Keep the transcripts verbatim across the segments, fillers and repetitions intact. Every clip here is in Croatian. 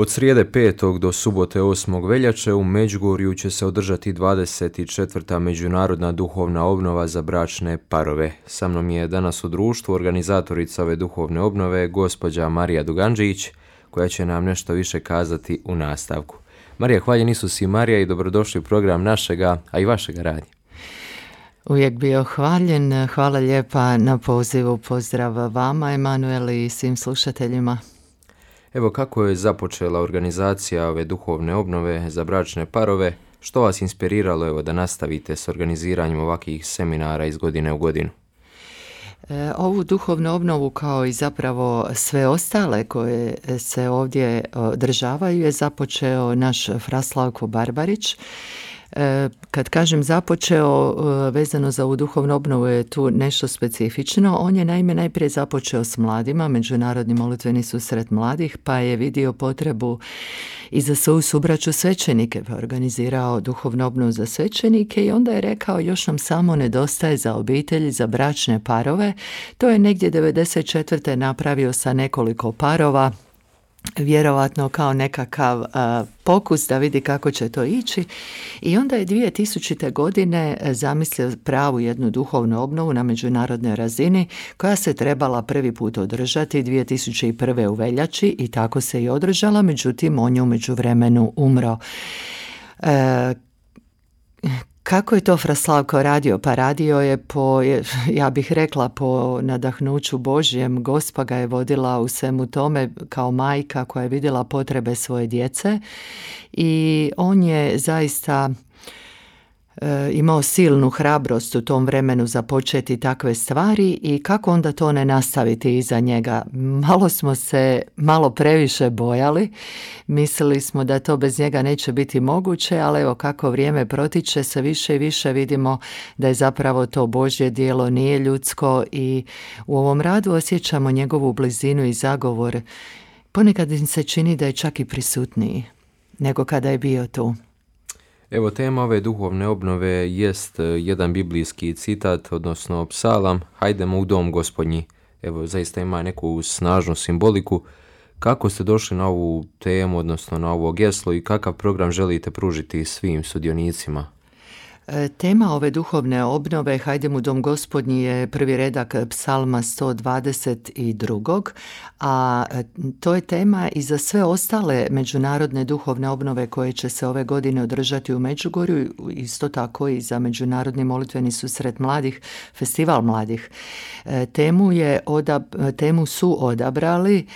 Od srijede petog do subote osmog veljače u Međugorju će se održati dvadeset četvrta međunarodna duhovna obnova za bračne parove. Sa mnom je danas u društvu organizatorica ove duhovne obnove, gospođa Marija Duganđić, koja će nam nešto više kazati u nastavku. Marija, hvaljen Isus i Marija i dobrodošli u program našega, a i vašega radnja. Uvijek bio hvaljen. Hvala lijepa na pozivu. Pozdrav vama, Emanuel, i svim slušateljima. Evo, kako je započela organizacija ove duhovne obnove za bračne parove? Što vas inspiriralo evo, da nastavite s organiziranjem ovakvih seminara iz godine u godinu? E, ovu duhovnu obnovu, kao i zapravo sve ostale koje se ovdje održavaju, je započeo naš fra Slavko Barbarić. Kad kažem započeo, vezano za ovu duhovnu obnovu je tu nešto specifično. On je naime najprije započeo s mladima, Međunarodni molitveni susret mladih, pa je vidio potrebu i za svoju subraću svećenike, pa organizirao duhovnu obnovu za svećenike i onda je rekao još nam samo nedostaje za obitelji, za bračne parove. To je negdje devedeset četvrte napravio sa nekoliko parova, vjerovatno kao nekakav a, pokus da vidi kako će to ići, i onda je dvije tisućite. godine zamislio pravu jednu duhovnu obnovu na međunarodnoj razini koja se trebala prvi put održati dvije tisuće prve. u veljači i tako se i održala, međutim on je u međuvremenu umro. E, Kako je to fra Slavko radio? Pa radio je po, ja bih rekla, po nadahnuću Božjem. Gospa ga je vodila u svemu tome kao majka koja je vidjela potrebe svoje djece i on je zaista e, imao silnu hrabrost u tom vremenu započeti takve stvari i kako onda to ne nastaviti iza njega. Malo smo se malo previše bojali, mislili smo da to bez njega neće biti moguće, ali evo kako vrijeme protiče se više i više vidimo da je zapravo to Božje djelo, nije ljudsko, i u ovom radu osjećamo njegovu blizinu i zagovor. Ponekad im se čini da je čak i prisutniji nego kada je bio tu. Evo, tema ove duhovne obnove jest jedan biblijski citat, odnosno psalam, hajdemo u dom Gospodnji. Evo, zaista ima neku snažnu simboliku. Kako ste došli na ovu temu, odnosno na ovo geslo, i kakav program želite pružiti svim sudionicima? Tema ove duhovne obnove Hajdemo u dom Gospodnji je prvi redak psalma sto dvadeset dva, a to je tema i za sve ostale međunarodne duhovne obnove koje će se ove godine održati u Međugorju, isto tako i za Međunarodni molitveni susret mladih, festival mladih. Temu, je odab, temu su odabrali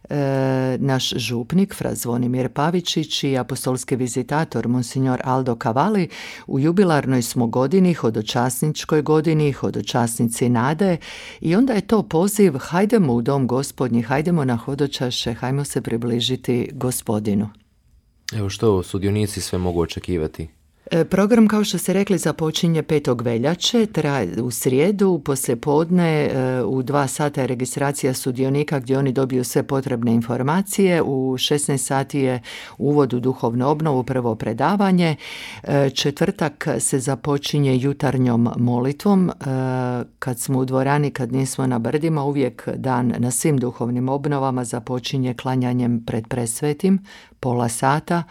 E, naš župnik fra Zvonimir Pavičić i apostolski vizitator monsignor Aldo Cavalli. U jubilarnoj smo godini, hodočasničkoj godini, hodočasnici nade, i onda je to poziv hajdemo u dom Gospodnji, hajdemo na hodočaše, hajmo se približiti Gospodinu. Evo, što sudionici sve mogu očekivati? Program, kao što ste rekli, započinje petog veljače, traje u srijedu, poslijepodne u dva sata je registracija sudionika gdje oni dobiju sve potrebne informacije. U šesnaest sati je uvod u duhovnu obnovu, prvo predavanje. Četvrtak se započinje jutarnjom molitvom. Kad smo u dvorani, kad nismo na brdima, uvijek dan na svim duhovnim obnovama započinje klanjanjem pred presvetim, pola sata.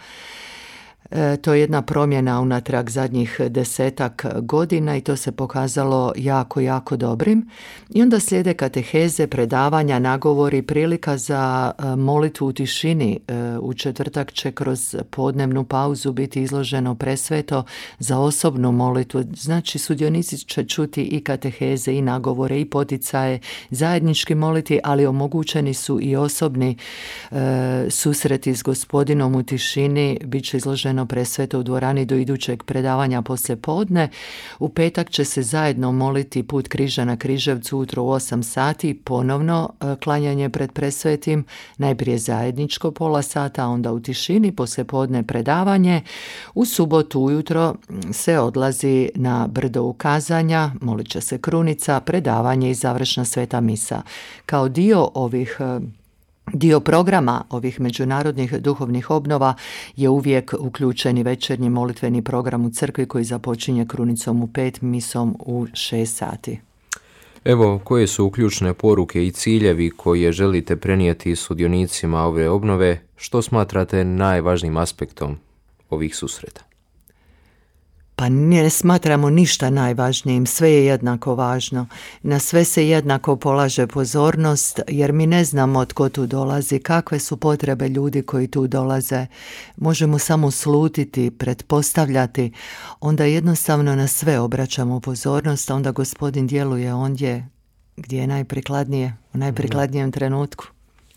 E, to je jedna promjena unatrag zadnjih desetak godina i to se pokazalo jako, jako dobrim. I onda slijede kateheze, predavanja, nagovori, prilika za molitvu u tišini. E, u četvrtak će kroz podnevnu pauzu biti izloženo presveto za osobnu molitvu. Znači, sudionici će čuti i kateheze, i nagovore, i poticaje, zajednički moliti, ali omogućeni su i osobni e, susreti s Gospodinom u tišini. Biće izloženo presveto u dvorani do idućeg predavanja poslije podne. U petak će se zajedno moliti put križa na Križevcu ujutro u osam sati, ponovno klanjanje pred presvetim, najprije zajedničko pola sata, onda u tišini, poslije podne predavanje. U subotu ujutro se odlazi na brdo ukazanja, molit će se krunica, predavanje i završna sveta misa. Kao dio ovih Dio programa ovih međunarodnih duhovnih obnova je uvijek uključeni večernji molitveni program u crkvi koji započinje krunicom u pet, misom u šest sati. Evo, koje su ključne poruke i ciljevi koje želite prenijeti sudionicima ove obnove? Što smatrate najvažnijim aspektom ovih susreta? Pa ne smatramo ništa najvažnijim, sve je jednako važno. Na sve se jednako polaže pozornost, jer mi ne znamo tko tu dolazi, kakve su potrebe ljudi koji tu dolaze. Možemo samo slutiti, pretpostavljati, onda jednostavno na sve obraćamo pozornost, a onda Gospodin djeluje ondje gdje je najprikladnije, u najprikladnijem trenutku.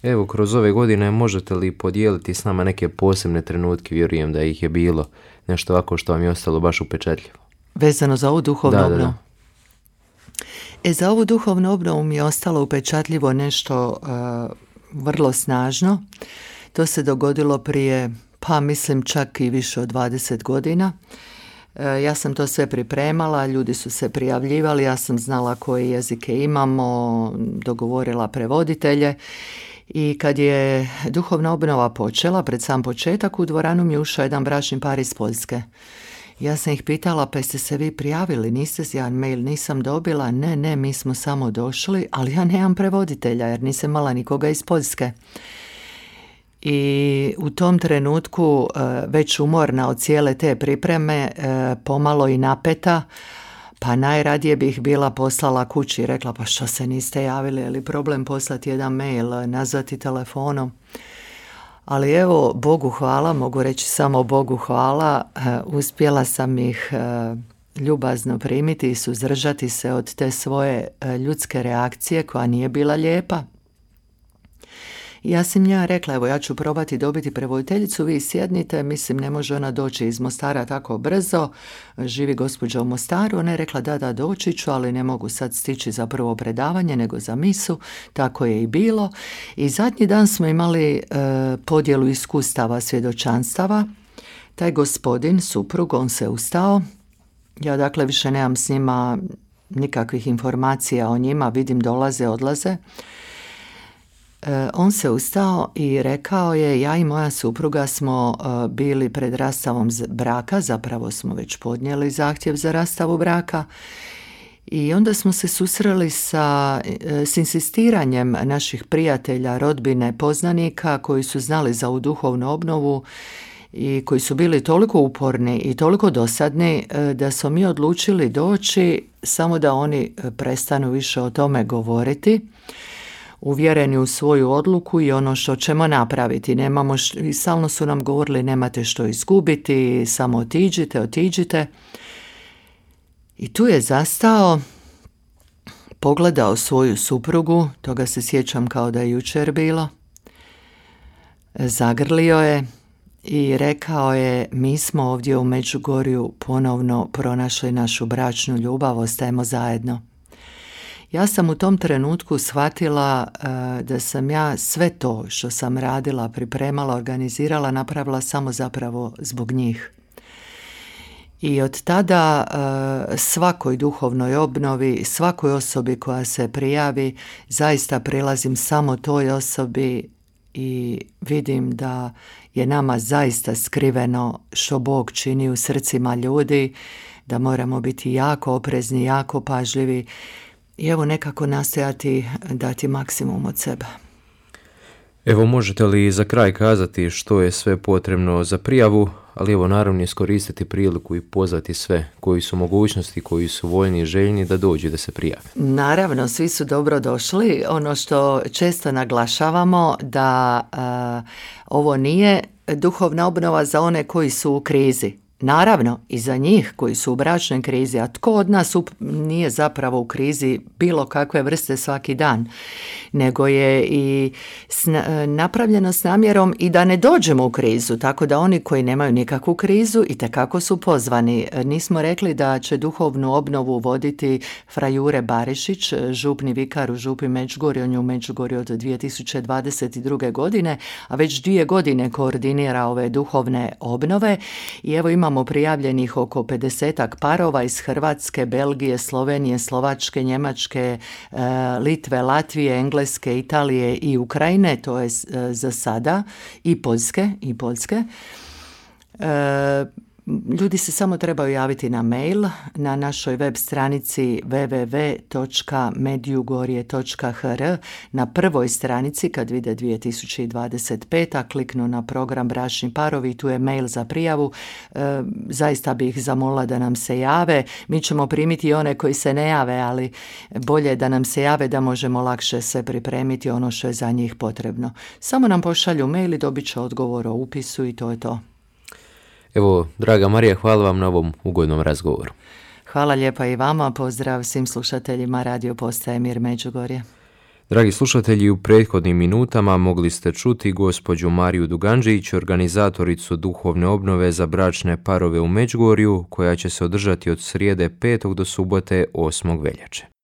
Evo, kroz ove godine možete li podijeliti s nama neke posebne trenutke, vjerujem da ih je bilo, nešto ovako što vam je ostalo baš upečatljivo? Vezano za ovu duhovnu da, obnovu? Da, da. E, za ovu duhovnu obnovu mi je ostalo upečatljivo nešto uh, vrlo snažno. To se dogodilo prije, pa mislim čak i više od dvadeset godina. Uh, ja sam to sve pripremala, ljudi su se prijavljivali, ja sam znala koje jezike imamo, dogovorila prevoditelje. I kad je duhovna obnova počela, pred sam početak, u dvoranu mi je ušao jedan bračni par iz Poljske. Ja sam ih pitala, pa jeste se vi prijavili, niste se, ja mail nisam dobila, ne, ne, mi smo samo došli, ali ja nemam prevoditelja jer nisam imala nikoga iz Poljske. I u tom trenutku, već umorna od cijele te pripreme, pomalo i napeta, pa najradije bih bila poslala kući i rekla, pa što se niste javili, je li problem poslati jedan mail, nazvati telefonom. Ali evo, Bogu hvala, mogu reći samo Bogu hvala, uspjela sam ih ljubazno primiti i suzdržati se od te svoje ljudske reakcije koja nije bila lijepa. Ja sam ja rekla, evo ja ću probati dobiti prevoditeljicu, vi sjednite, mislim ne može ona doći iz Mostara tako brzo, živi gospođa u Mostaru, ona je rekla da da doći ću, ali ne mogu sad stići za prvo predavanje nego za misu, tako je i bilo. I zadnji dan smo imali e, podjelu iskustava svjedočanstava, taj gospodin, suprug, on se ustao, ja dakle više nemam s njima nikakvih informacija o njima, vidim dolaze, odlaze. On se ustao i rekao je, ja i moja supruga smo bili pred rastavom braka, zapravo smo već podnijeli zahtjev za rastavu braka i onda smo se susreli sa, s insistiranjem naših prijatelja, rodbine, poznanika koji su znali za ovu duhovnu obnovu i koji su bili toliko uporni i toliko dosadni da smo mi odlučili doći samo da oni prestanu više o tome govoriti, uvjereni u svoju odluku i ono što ćemo napraviti. Nemamo š... I stalno su nam govorili nemate što izgubiti, samo otiđite, otiđite. I tu je zastao, pogledao svoju suprugu, toga se sjećam kao da je jučer bilo, zagrlio je i rekao je, mi smo ovdje u Međugorju ponovno pronašli našu bračnu ljubav, ostajemo zajedno. Ja sam u tom trenutku shvatila uh, da sam ja sve to što sam radila, pripremala, organizirala, napravila samo zapravo zbog njih. I od tada uh, svakoj duhovnoj obnovi, svakoj osobi koja se prijavi, zaista prilazim samo toj osobi i vidim da je nama zaista skriveno što Bog čini u srcima ljudi, da moramo biti jako oprezni, jako pažljivi i evo nekako nastojati dati maksimum od sebe. Evo, možete li za kraj kazati što je sve potrebno za prijavu, ali evo naravno iskoristiti priliku i pozvati sve koji su mogućnosti, koji su voljni i željni da dođu da se prijave. Naravno, svi su dobro došli. Ono što često naglašavamo da uh, ovo nije duhovna obnova za one koji su u krizi. Naravno, i za njih koji su u bračnoj krizi, a tko od nas up- nije zapravo u krizi bilo kakve vrste svaki dan, nego je i sna- napravljeno s namjerom i da ne dođemo u krizu, tako da oni koji nemaju nikakvu krizu itekako su pozvani. Nismo rekli da će duhovnu obnovu voditi fra Jure Barišić, župni vikar u župi Međugorju, on je u Međugorju od dvije tisuće dvadeset druge. godine, a već dvije godine koordinira ove duhovne obnove i evo ima Imamo prijavljenih oko pedesetak parova iz Hrvatske, Belgije, Slovenije, Slovačke, Njemačke, Litve, Latvije, Engleske, Italije i Ukrajine, to je za sada, i Poljske, i Poljske. ljudi se samo trebaju javiti na mail na našoj web stranici w w w točka medjugorje točka h r. Na prvoj stranici kad vide dvije tisuće dvadeset peta kliknu na program Bračni parovi i tu je mail za prijavu. E, zaista bih zamolila da nam se jave. Mi ćemo primiti one koji se ne jave, ali bolje je da nam se jave da možemo lakše se pripremiti ono što je za njih potrebno. Samo nam pošalju mail i dobit će odgovor o upisu i to je to. Evo, draga Marija, hvala vam na ovom ugodnom razgovoru. Hvala lijepa i vama, pozdrav svim slušateljima Radio Postaje Mir Međugorje. Dragi slušatelji, u prethodnim minutama mogli ste čuti gospođu Mariju Duganđić, organizatoricu duhovne obnove za bračne parove u Međugorju, koja će se održati od srijede petog do subote osmog veljače.